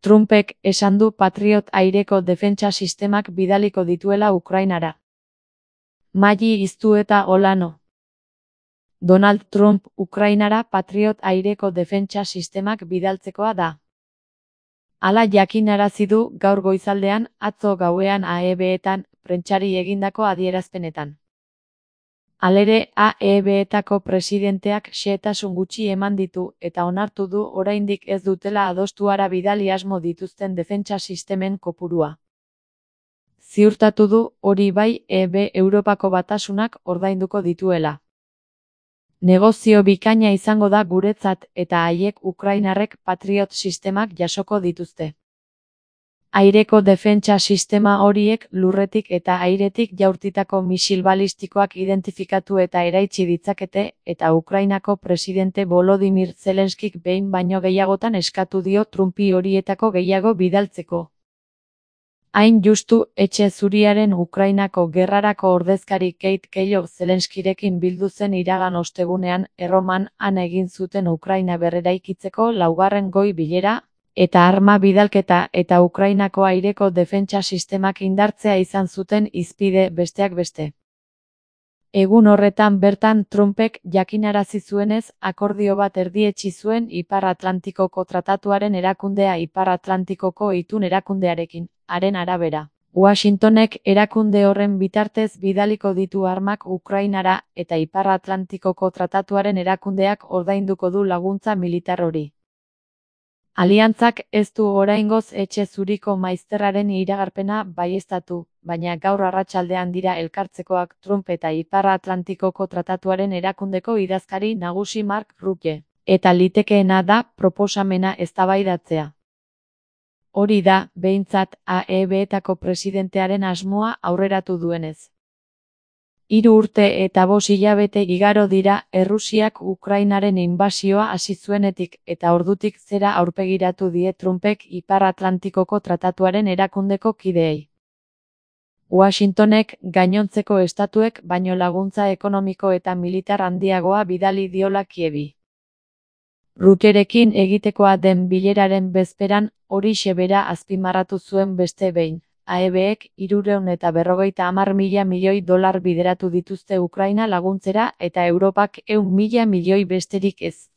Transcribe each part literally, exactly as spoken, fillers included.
Trumpek esan du Patriot aireko defentsa sistemak bidaliko dituela Ukrainara. Maggi Iztueta Olano. Donald Trump Ukrainara Patriot aireko defentsa sistemak bidaltzekoa da. Hala jakinarazi du gaur goizaldean, atzo gauean A E B-etan, prentsari egindako adierazpenetan. Halere, A E B-etako presidenteak xehetasun gutxi eman ditu eta onartu du oraindik ez dutela adostuara bidali asmo dituzten defentsa sistemen kopurua. Ziurtatu du, hori bai, E B Europako Batasunak ordainduko dituela. Negozio bikaina izango da guretzat eta haiek Ukrainarrek Patriot sistemak jasoko dituzte. Aireko defentsa sistema horiek lurretik eta airetik jaurtitako misil balistikoak identifikatu eta eraitsi ditzakete eta Ukrainako presidente Volodymyr Zelenskik behin baino gehiagotan eskatu dio Trumpi horietako gehiago bidaltzeko. Hain justu, Etxe Zuriaren Ukrainako gerrarako ordezkari Keith Kellogg Zelenskirekin bildu zen iragan ostegunean, Erroman, han egin zuten Ukraina berreraikitzeko laugarren goi bilera, eta arma bidalketa eta Ukrainako aireko defentsa sistemak indartzea izan zuten hizpide besteak beste. Egun horretan bertan Trumpek jakinarazi zuenez, akordio bat erdietsi zuen Ipar Atlantikoko Tratatuaren erakundea Ipar Atlantikoko Itun erakundearekin. Haren arabera, Washingtonek erakunde horren bitartez bidaliko ditu armak Ukrainara eta Ipar Atlantikoko Tratatuaren erakundeak ordainduko du laguntza militar hori. Aliantzak ez du oraingoz Etxe Zuriko maizterraren iragarpena baieztatu, baina gaur arratsaldean dira elkartzekoak Trump eta Ipar Atlantikoko Tratatuaren erakundeko idazkari nagusi Mark Rutte, eta litekeena da proposamena eztabaidatzea. Hori da, behintzat, A E B-etako presidentearen asmoa aurreratu duenez. Hiru urte eta bost hilabete igaro dira Errusiak Ukrainaren inbasioa hasi zuenetik eta ordutik zera aurpegiratu die Trumpek Ipar Atlantikoko Tratatuaren erakundeko kideei. Washingtonek gainontzeko estatuek baino laguntza ekonomiko eta militar handiagoa bidali diola Kievi. Rutterekin egitekoa den bileraren bezperan, horixe bera azpimarratu zuen beste behin. A E B-ek hirurehun eta berrogeita hamar mila milioi dolar bideratu dituzte Ukraina laguntzera eta Europak ehun mila milioi besterik ez.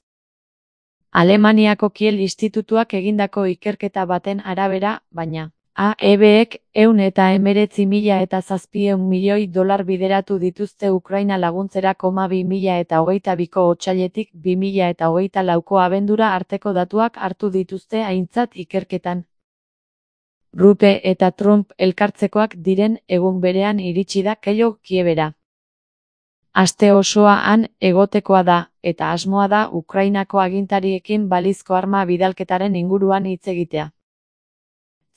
Alemaniako Kiel Institutuak egindako ikerketa baten arabera, baina, A E B-ek ehun eta hemeretzi mila eta zazpiehun milioi dolar bideratu dituzte Ukraina laguntzera koma bi mila eta hogeita biko otsailetik bi mila eta hogeita lauko abendura arteko datuak hartu dituzte aintzat ikerketan. Rutte eta Trump elkartzekoak diren egun berean iritsi da Kellogg Kievera. Aste osoa han egotekoa da, eta asmoa da Ukrainako agintariekin balizko arma bidalketaren inguruan hitz egitea.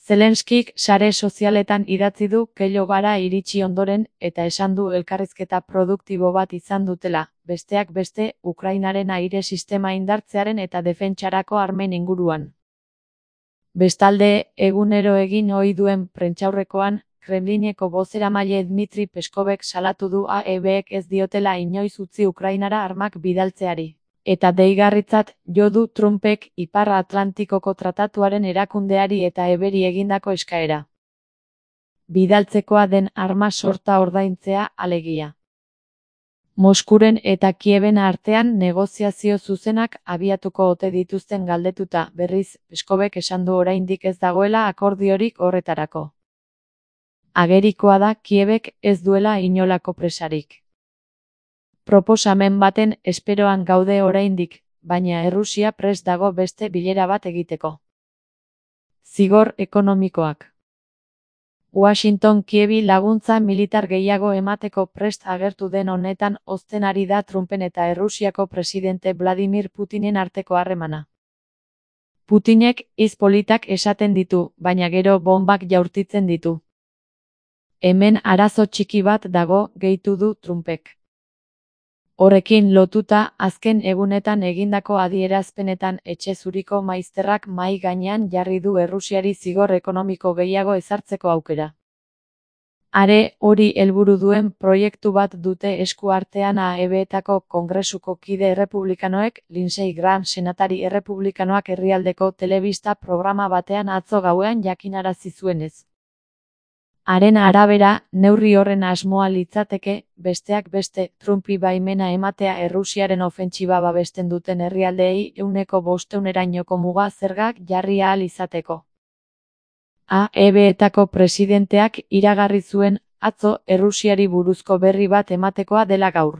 Zelenskik sare sozialetan idatzi du Kelloggara iritsi ondoren eta esan du elkarrizketa produktibo bat izan dutela, besteak beste, Ukrainaren aire sistema indartzearen eta defentsarako armen inguruan. Bestalde, egunero egin ohi duen prentsaurrekoan, Kremlineko bozeramaile Dmitri Peskovek salatu du A E B-ek ez diotela inoiz utzi Ukrainara armak bidaltzeari. Eta deigarritzat jo du Trumpek Ipar Atlantikoko Tratatuaren erakundeari eta eberi egindako eskaera. Bidaltzekoa den arma sorta ordaintzea alegia. Moskuren eta Kieben artean negoziazio zuzenak abiatuko ote dituzten galdetuta, berriz, Peskovek esan du oraindik ez dagoela akordiorik horretarako. Agerikoa da Kiebek ez duela inolako presarik. Proposamen baten esperoan gaude oraindik, baina Errusia prest dago beste bilera bat egiteko. Zigor ekonomikoak. Washington Kievi laguntza militar gehiago emateko prest agertu den honetan hozten ari da Trumpen eta Errusiako presidente Vladimir Putinen arteko harremana. Putinek hitz politak esaten ditu, baina gero bonbak jaurtitzen ditu. Hemen arazo txiki bat dago, gehitu du Trumpek. Horrekin lotuta, azken egunetan egindako adierazpenetan Etxe Zuriko maizterrak mahai gainean jarri du Errusiari zigor ekonomiko gehiago ezartzeko aukera. Are hori helburu duen proiektu bat dute esku artean A E B-etako Kongresuko kide errepublikanoek. Lindsey Graham senatari errepublikanoak herrialdeko telebista programa batean atzo gauean jakinarazi zuenez. Haren arabera, neurri horren asmoa litzateke, besteak beste, Trumpi baimena ematea Errusiaren ofentsiba babesten duten herrialdeei ehuneko bostehunerainoko muga zergak jarri ahal izateko. A E B-etako presidenteak iragarri zuen, atzo, Errusiari buruzko berri bat ematekoa dela gaur.